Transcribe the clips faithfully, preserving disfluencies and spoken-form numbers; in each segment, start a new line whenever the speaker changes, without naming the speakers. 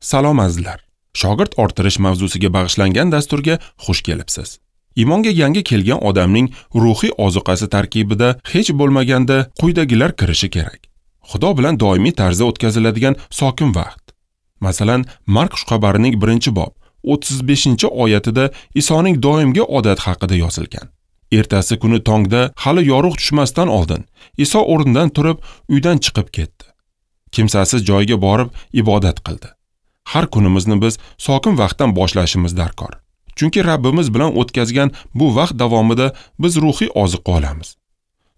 Salom azizlar. Shogird orttirish mavzusiga bag'ishlangan dasturga xush kelibsiz. Iymonga yangi kelgan odamning ruhiy ozuqasi tarkibida hech bo'lmaganda quyidagilar kirishi kerak. Xudo bilan doimiy tarzda o'tkaziladigan sokin vaqt. Masalan, Mark xushxabarining birinchi bob o'ttiz beshinchi oyatida Isoning doimgi odat haqida yozilgan. Ertasi kuni tongda hali yorug' tushmasdan oldin Iso o'rnidan turib uydan chiqib ketdi. Kimsasiz joyga borib ibodat qildi. Har kunimizni biz sokin vaqtdan boshlashimiz darkor. Chunki Rabbimiz bilan o'tkazgan bu vaqt davomida biz ruhiy oziq olamiz.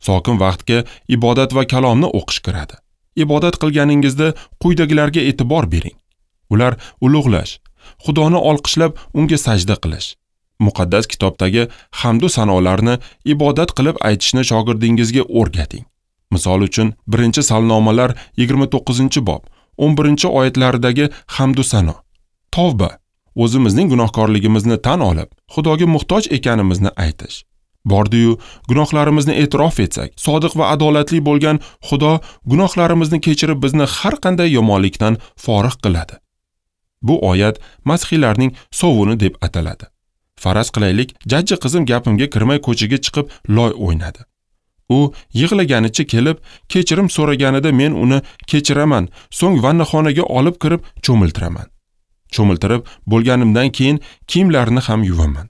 Sokin vaqtga ibodat va kalomni o'qish kiradi. Ibodat qilganingizda quyidagilarga e'tibor bering. Ular ulug'lash, Xudoni olqishlab unga sajda qilish, muqaddas kitobdagi hamd va sanolarni ibodat qilib aytishni shogirdingizga o'rgating. Misol uchun, birinchi Salnomalar yigirma to'qqizinchi bob o'n birinchi oyatlaridagi hamd va sano. Tavba, o'zimizning gunohkorligimizni tan olib, Xudoga muhtoj ekanimizni aytish. Bordi-yu, gunohlarimizni e'tirof etsak, sodiq va adolatli bo'lgan Xudo gunohlarimizni kechirib bizni har qanday yomonlikdan forig' qiladi. Bu oyat masihiylarning sovuni deb ataladi. Faraz qilaylik, jajji qizim gapimga kirmay ko'chaga chiqib loy o'ynadi. U yig'laganicha kelib, kechirim so'raganida men uni kechiraman, so'ng vannaxonaga olib kirib cho'miltiraman. Cho'miltirib bo'lganimdan keyin kiyimlarini ham yuvaman.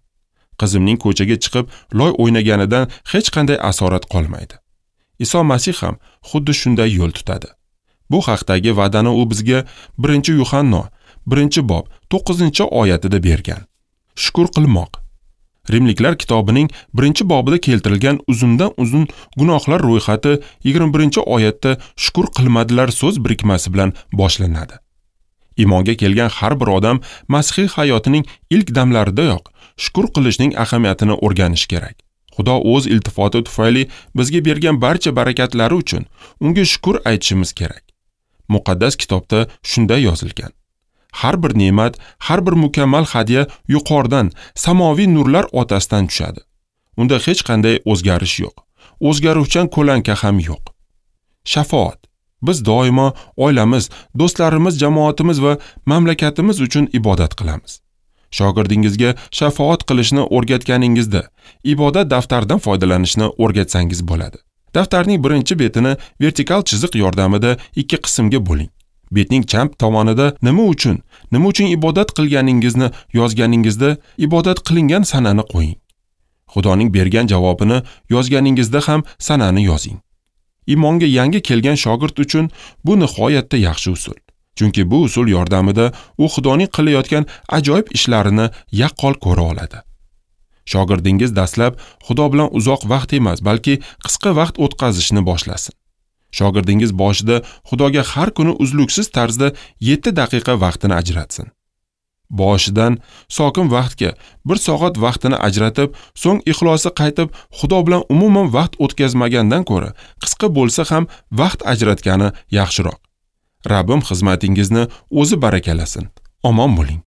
Qizimning ko'chaga chiqib loy o'ynaganidan hech qanday asorat qolmaydi. Iso Masih ham xuddi shunday yo'l tutadi. Bu haqdagi va'dani u bizga birinchi Yuhanno birinchi bob to'qqizinchi oyatida bergan. Shukr qilmoq. Rimliklar kitobining birinchi bobida keltirilgan uzundan uzun gunohlar ro'yxati yigirma birinchi oyatda shukr qilmadilar so'z birikmasi bilan boshlanadi. Iymonga kelgan har bir odam masihiy hayotining ilk damlaridayoq shukr qilishning ahamiyatini o'rganishi kerak. Xudo o'z iltifoti tufayli bizga bergan barcha barakatlari uchun unga shukr aytishimiz kerak. Muqaddas kitobda shunday yozilgan. Har bir ne'mat, har bir mukammal hadya yuqoridan, samoviy nurlar otasidan tushadi. Unda hech qanday o'zgarish yo'q. O'zgaruvchan ko'lanka ham yo'q. Shafoat. Biz doimo oilamiz, do'stlarimiz, jamoatimiz va mamlakatimiz uchun ibodat qilamiz. Shogirdingizga shafoat qilishni o'rgatganingizda ibodat daftaridan foydalanishni o'rgatsangiz bo'ladi. Daftarning birinchi betini vertikal chiziq yordamida ikki qismga bo'ling. Betning chap tomonida nima uchun, nima uchun ibodat qilganingizni yozganingizda ibodat qilingan sanani qo'ying. Xudoning bergan javobini yozganingizda ham sanani yozing. Iymonga yangi kelgan shogird uchun bu nihoyatda yaxshi usul. Chunki bu usul yordamida u Xudoning qilayotgan ajoyib ishlarini yaqqol ko'ra oladi. Shogirdingiz dastlab Xudo bilan uzoq vaqt emas, balki qisqa vaqt o'tkazishni boshlasin. Shogirdingiz boshida Xudoga har kuni uzluksiz tarzda yetti daqiqa vaqtini ajratsin. Boshidan sokin vaqtga bir soat vaqtini ajratib, so'ng ixlosi qaytib Xudo bilan umuman vaqt o'tkazmagandan ko'ra qisqa bo'lsa ham vaqt ajratgani yaxshiroq. Rabbim xizmatingizni o'zi barakalasin. Omon bo'ling.